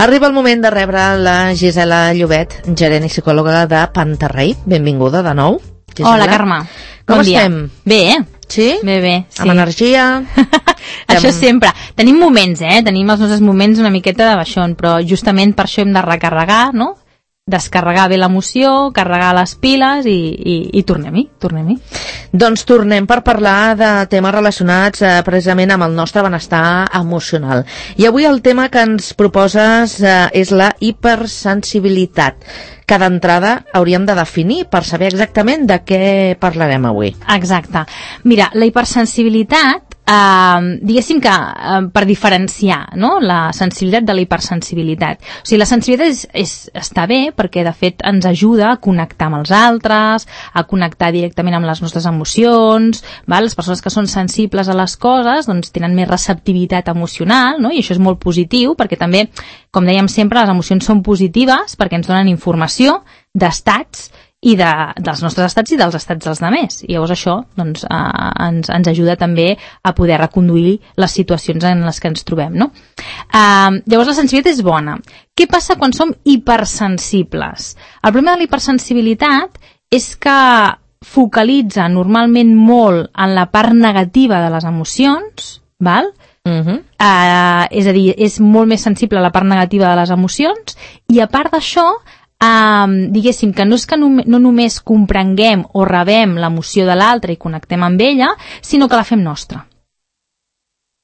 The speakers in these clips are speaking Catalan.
Arriba el moment de rebre la Gisela Llobet, gerent i psicòloga de Pantarrey. Benvinguda de nou, Gisela. Hola, Carme. Com estem? Bé, Sí? Bé, sí. Amb energia? Això sempre. Tenim moments, tenim els nostres moments una miqueta de baixón, però justament per això hem de recarregar, no? Descarregar bé l'emoció, carregar les piles i tornem-hi. Doncs tornem per parlar de temes relacionats precisament amb el nostre benestar emocional. I avui el tema que ens proposes és la hipersensibilitat, que d'entrada hauríem de definir per saber exactament de què parlarem avui. Exacte. Mira, la hipersensibilitat, diguéssim que per diferenciar, no?, la sensibilitat de la hipersensibilitat. O sigui, la sensibilitat està bé perquè de fet ens ajuda a connectar amb els altres, a connectar directament amb les nostres emocions, val? Les persones que són sensibles a les coses doncs tenen més receptivitat emocional, no? I això és molt positiu perquè també, com dèiem sempre, les emocions són positives perquè ens donen informació d'estats i dels nostres estats i dels estats dels altres. I llavors això doncs, ens ajuda també a poder reconduir les situacions en les que ens trobem, no? Llavors la sensibilitat és bona. Què passa quan som hipersensibles? El problema de la hipersensibilitat és que focalitza normalment molt en la part negativa de les emocions, val? És a dir, és molt més sensible a la part negativa de les emocions i a part d'això diguéssim que no és que no només comprenguem o rebem l'emoció de l'altre i connectem amb ella, sinó que la fem nostra.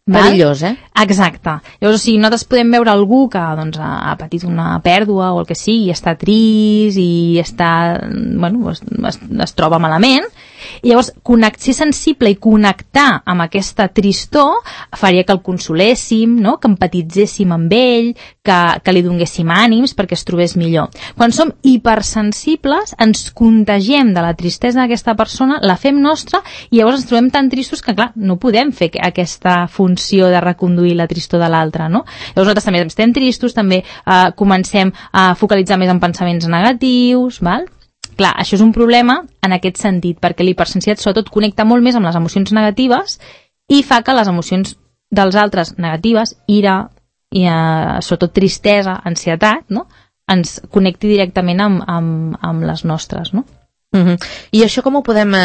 Perillós, Exacte. Llavors, o sigui, nosaltres podem veure algú que doncs, ha patit una pèrdua o el que sigui, i està trist i està, bueno, es troba malament, i llavors ser sensible i connectar amb aquesta tristor faria que el consoléssim, no?, que empatitzéssim amb ell, que li donéssim ànims perquè es trobés millor. Quan som hipersensibles ens contagiem de la tristesa d'aquesta persona, la fem nostra i llavors ens trobem tan tristos que clar, no podem fer aquesta funció de reconduir la tristor de l'altre, no? Llavors nosaltres també estem tristos, també comencem a focalitzar més en pensaments negatius, val? Clar, això és un problema en aquest sentit, perquè l'hipersensibilitat sobretot connecta molt més amb les emocions negatives i fa que les emocions dels altres negatives, ira, i sobretot tristesa, ansietat, no?, ens connecti directament amb les nostres, no? I això com ho podem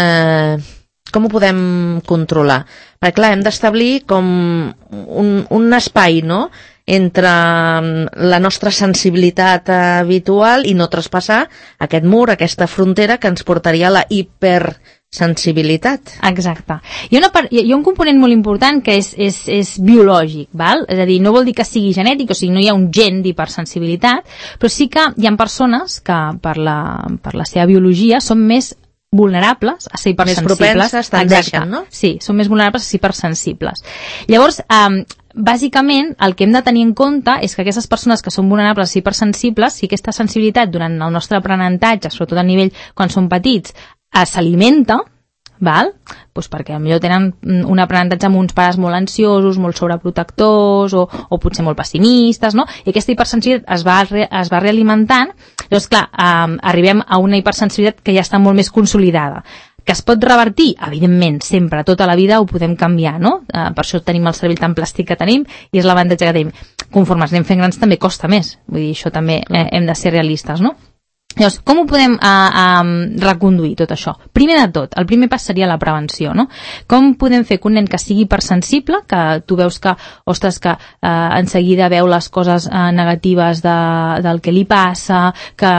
controlar? Perquè clar, hem d'establir com un espai, no?, entre la nostra sensibilitat habitual i no traspassar aquest mur, aquesta frontera que ens portaria a la hipersensibilitat. Exacte. Hi ha un component molt important que és biològic, val? És a dir, no vol dir que sigui genètic, o sigui, no hi ha un gen d'hipersensibilitat, però sí que hi ha persones que per la seva biologia són més vulnerables a ser hipersensibles. Més propenses tendeixen, no? Sí, són més vulnerables a ser hipersensibles. Llavors, bàsicament, el que hem de tenir en compte és que aquestes persones que són vulnerables a ser hipersensibles, si aquesta sensibilitat durant el nostre aprenentatge, sobretot a nivell quan són petits, s'alimenta, val? Pues perquè potser tenen un aprenentatge amb uns pares molt ansiosos, molt sobreprotectors o potser molt pessimistes, no? I aquesta hipersensibilitat es va realimentant. Llavors, clar, arribem a una hipersensibilitat que ja està molt més consolidada. Que es pot revertir? Evidentment, sempre, tota la vida ho podem canviar, no? Per això tenim el cervell tan plàstic que tenim i és l'avantatge que tenim. Conforme ens anem fent grans també costa més, vull dir, això també hem de ser realistes, no? Llavors, com ho podem reconduir tot això? Primer de tot, el primer pas seria la prevenció, no? Com podem fer que un nen que sigui hipersensible, que tu veus que, ostres, que en seguida veu les coses negatives del que li passa, que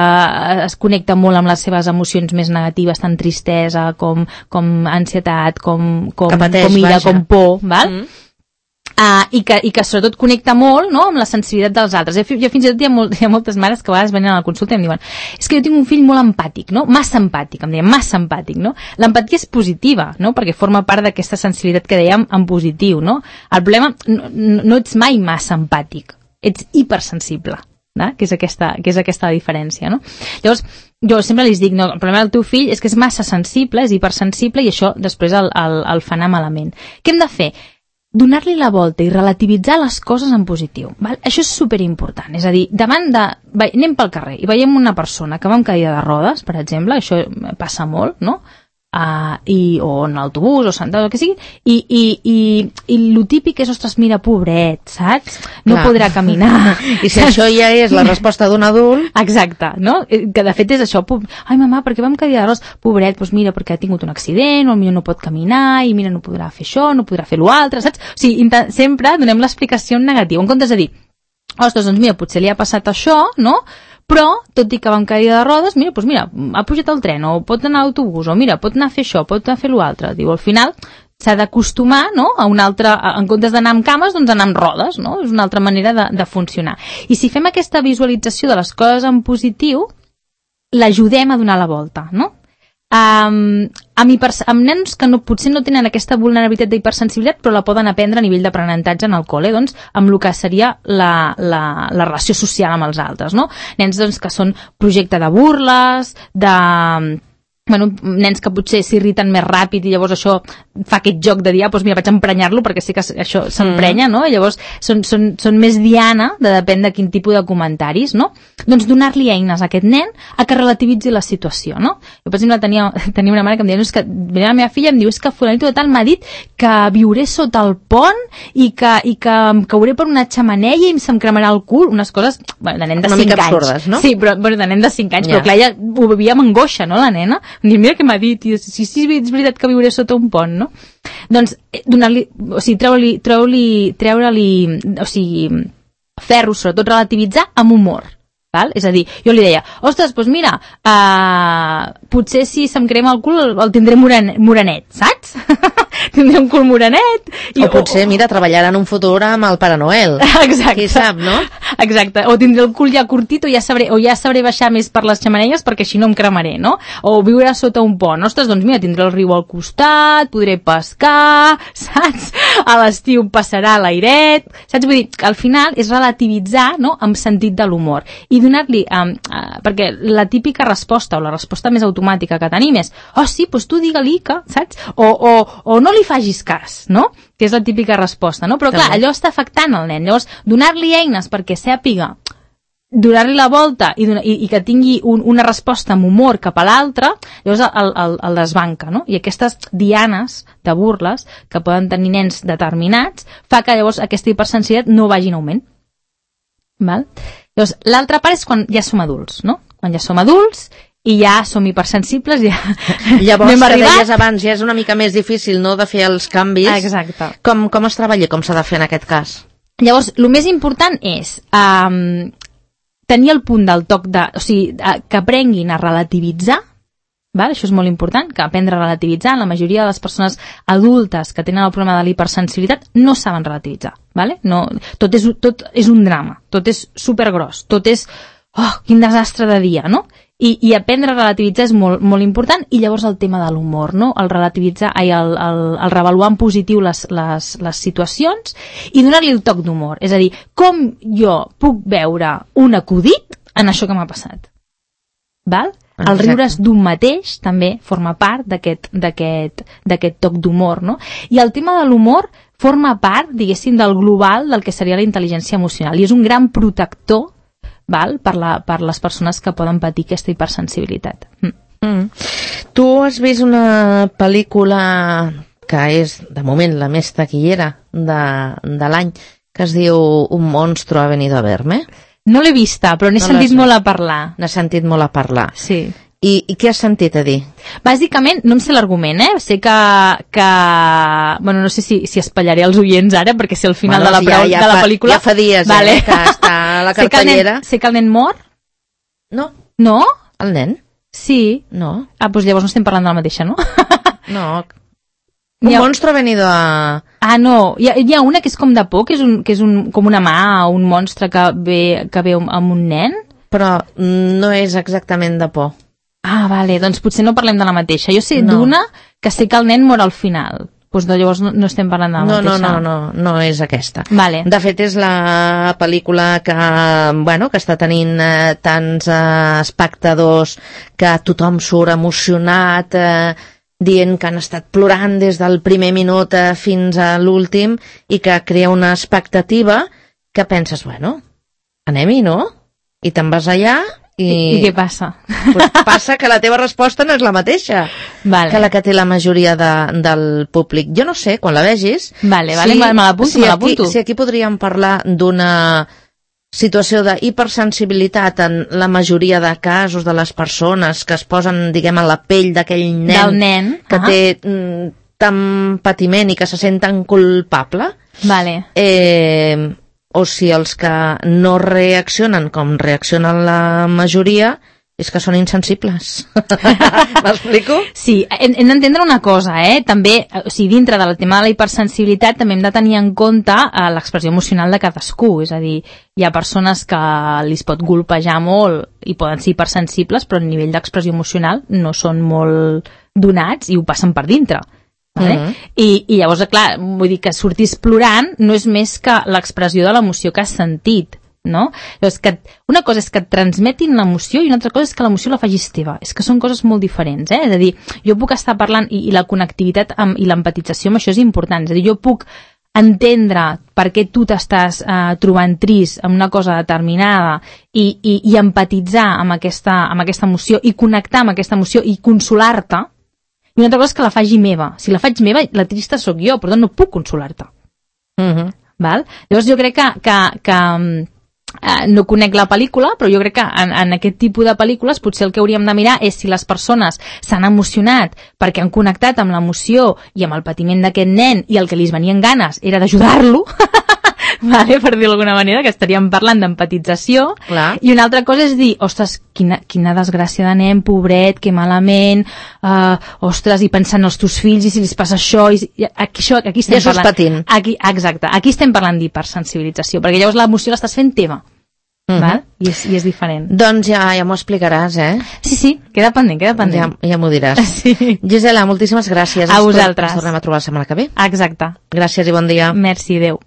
es connecta molt amb les seves emocions més negatives, tant tristesa com ansietat, com ira, com por, val? I que sobretot connecta molt, no?, amb la sensibilitat dels altres. Jo fins i tot hi ha moltes mares que a vegades venen a la consulta i em diuen és que jo tinc un fill molt empàtic, no?, massa empàtic, em deien, massa empàtic, no? L'empatia és positiva, no?, perquè forma part d'aquesta sensibilitat que dèiem en positiu, no? El problema, no ets mai massa empàtic, ets hipersensible, no? Que és aquesta diferència, no? Llavors, jo sempre li dic, no, el problema del teu fill és que és massa sensible, és hipersensible i això després el fa anar malament. Què hem de fer? Donar-li la volta i relativitzar les coses en positiu. Val? Això és superimportant. És a dir, anem pel carrer i veiem una persona que va amb cadira de rodes, per exemple, això passa molt, no? o en l'autobús, o sentat, o el que sigui, i lo típic és, ostres, mira, pobret, saps? No podrà caminar. I si això ja és la resposta d'un adult... Exacte, no? Que de fet és això, ai, mamà, per què vam quedar d'arròs? Pobret, doncs mira, perquè ha tingut un accident, o potser no pot caminar, i mira, no podrà fer això, no podrà fer l'altre, saps? O sigui, sempre donem l'explicació en negatiu, en comptes de dir, ostres, doncs mira, potser li ha passat això, no? Però, tot i que va amb cadira de rodes, mira, doncs mira, ha pujat al tren, o pot anar a l'autobús, o mira, pot anar a fer això, pot anar a fer l'altre. Diu, al final s'ha d'acostumar, no?, a una altra, en comptes d'anar amb cames, doncs anar amb rodes, no? És una altra manera de funcionar. I si fem aquesta visualització de les coses en positiu, l'ajudem a donar la volta, no? Amb nens que potser no tenen aquesta vulnerabilitat d'hipersensibilitat però la poden aprendre a nivell d'aprenentatge en el col·le, doncs, amb el que seria la relació social amb els altres, no? Nens doncs, que són projecte de burles, nens que potser s'irriten més ràpid i llavors això fa aquest joc de dir, doncs mira, vaig a emprenyar-lo perquè sé que això s'emprenya, no? I llavors són més diana, depèn de quin tipus de comentaris, no? Doncs donar-li eines a aquest nen a que relativitzi la situació, no? Jo, per exemple, tenia una mare que em deia, és que la meva filla em diu, és que fulanito de tal m'ha dit que viuré sota el pont i que em cauré per una xemeneia i se'm cremarà el cul, unes coses, bueno, de nen de 5 anys. Una mica absurdes, no? Sí, però de nen de 5 anys, però clar, ella ho vivia amb angoixa, no, la nena? Dir, mira què m'ha dit, i sí, és veritat que viuré sota un pont, no? Doncs donar-li, o sigui, treure-li, o sigui, fer-ho, sobretot relativitzar amb humor. Val? És a dir, jo li deia, ostres, doncs mira, potser si se'm crema el cul el tindré morenet, saps? Tindré un cul morenet. O potser, mira, treballarà en un futur amb el Pare Noel. Exacte. Qui sap, no? Exacte. O tindré el cul ja curtit o ja sabré baixar més per les xemeneies perquè així no em cremaré, no? O viurà sota un pont. Ostres, doncs mira, tindré el riu al costat, podré pescar, saps? A l'estiu passarà l'airet, saps? Vull dir, al final és relativitzar, no?, amb sentit de l'humor. I donar-li, perquè la típica resposta o la resposta més automàtica que tenim és, oh sí, doncs tu digue-li que, saps? O no li facis cas, no? Que és la típica resposta, no? Però clar, allò està afectant el nen. Llavors, donar-li eines perquè sàpiga donar-li la volta i que tingui una resposta amb humor cap a l'altre, llavors el desbanca, no? I aquestes dianes de burles que poden tenir nens determinats fa que llavors aquesta hipersensibilitat no vagi en augment. Val? Llavors, l'altra part és quan ja som adults, no? Quan ja som adults i ja som hipersensibles, ja llavors, que deies abans, ja és una mica més difícil, no?, de fer els canvis. Exacte. Com es treballa, com s'ha de fer en aquest cas? Llavors, el més important és tenir el punt del toc o sigui, que aprenguin a relativitzar, val? Això és molt important, que aprendre a relativitzar. La majoria de les persones adultes que tenen el problema de l'hipersensibilitat no saben relativitzar, vale? No, tot és un drama, tot és supergros, tot és, oh, quin desastre de dia, no? I aprendre a relativitzar és molt, molt important. I llavors el tema de l'humor, no? El relativitzar, el revaluar en positiu les situacions i donar-li el toc d'humor. És a dir, com jo puc veure un acudit en això que m'ha passat? Val? Exacte. El riure's d'un mateix també forma part d'aquest toc d'humor, no? I el tema de l'humor forma part, diguéssim, del global del que seria la intel·ligència emocional i és un gran protector, val? Per les persones que poden patir aquesta hipersensibilitat. Tu has vist una pel·lícula que és, de moment, la més taquillera de l'any, que es diu Un monstruo ha venido a verme? No l'he vista, però n'he sentit molt a parlar. N'he sentit molt a parlar. Sí. I què has sentit a dir? Bàsicament, no em sé l'argument, Sé que... Bueno, no sé si espatllaré els oients ara, perquè sé el final de la pel·lícula... Ja fa dies, vale. Que està a la cartellera. Sé que el nen mor? No. No? El nen? Sí. No. Doncs llavors no estem parlant de la mateixa, no? No. Un monstruo ha venido a... no. Hi ha una que és com de por, que és com una mà o un monstre que ve amb un nen. Però no és exactament de por. Vale, doncs potser no parlem de la mateixa. Jo sé d'una que sé que el nen mor al final. Doncs llavors no estem parlant de la mateixa. No és aquesta. Vale. De fet, és la pel·lícula que està tenint tants espectadors, que tothom surt emocionat, dient que han estat plorant des del primer minut fins a l'últim i que crea una expectativa que penses, anem-hi, no? I te'n vas allà I què passa? Pues passa que la teva resposta no és la mateixa que la que té la majoria del públic. Jo no sé, quan la vegis... Vale, me l'apunto. Si aquí podríem parlar d'una situació d'hipersensibilitat en la majoria de casos de les persones que es posen, diguem, a la pell d'aquell nen, que té tant patiment i que se sent tan culpable, o si els que no reaccionen com reaccionen la majoria és que són insensibles. M'explico? Sí, hem d'entendre una cosa, també, o sigui, dintre del tema de la hipersensibilitat també hem de tenir en compte l'expressió emocional de cadascú, és a dir, hi ha persones que li pot golpejar molt i poden ser hipersensibles, però a nivell d'expressió emocional no són molt donats i ho passen per dintre. Vale? I llavors, clar, vull dir que sortís plorant no és més que l'expressió de l'emoció que has sentit, no? Llavors, una cosa és que et transmetin l'emoció i una altra cosa és que l'emoció la facis teva. És que són coses molt diferents, És a dir, jo puc estar parlant i la connectivitat i l'empatització amb això és important. És a dir, jo puc entendre per què tu t'estàs trobant trist amb una cosa determinada i empatitzar amb aquesta emoció i connectar amb aquesta emoció i consolar-te. I una altra cosa és que la faci meva. Si la faig meva, la trista sóc jo, per tant no puc consolar-te. Val? Llavors jo crec que no conec la pel·lícula, però jo crec que en aquest tipus de pel·lícules potser el que hauríem de mirar és si les persones s'han emocionat perquè han connectat amb l'emoció i amb el patiment d'aquest nen i el que li venien ganes era d'ajudar-lo, vale, per dir d'alguna manera, que estaríem parlant d'empatització. Clar. I una altra cosa és dir, ostres, quina desgràcia de nen, pobret, que malament, ostres, i pensant els teus fills i si els passa això, aquí estem parlant... patint. Exacte, aquí estem parlant d'hipersensibilització, perquè llavors l'emoció l'estàs fent teva. Val? I és diferent. Doncs ja m'ho explicaràs, Sí, queda pendent. Ja m'ho diràs. Sí. Gisela, moltíssimes gràcies. A vosaltres. Ens tornem a trobar la setmana que ve. Exacte. Gràcies i bon dia. Merci, adeu.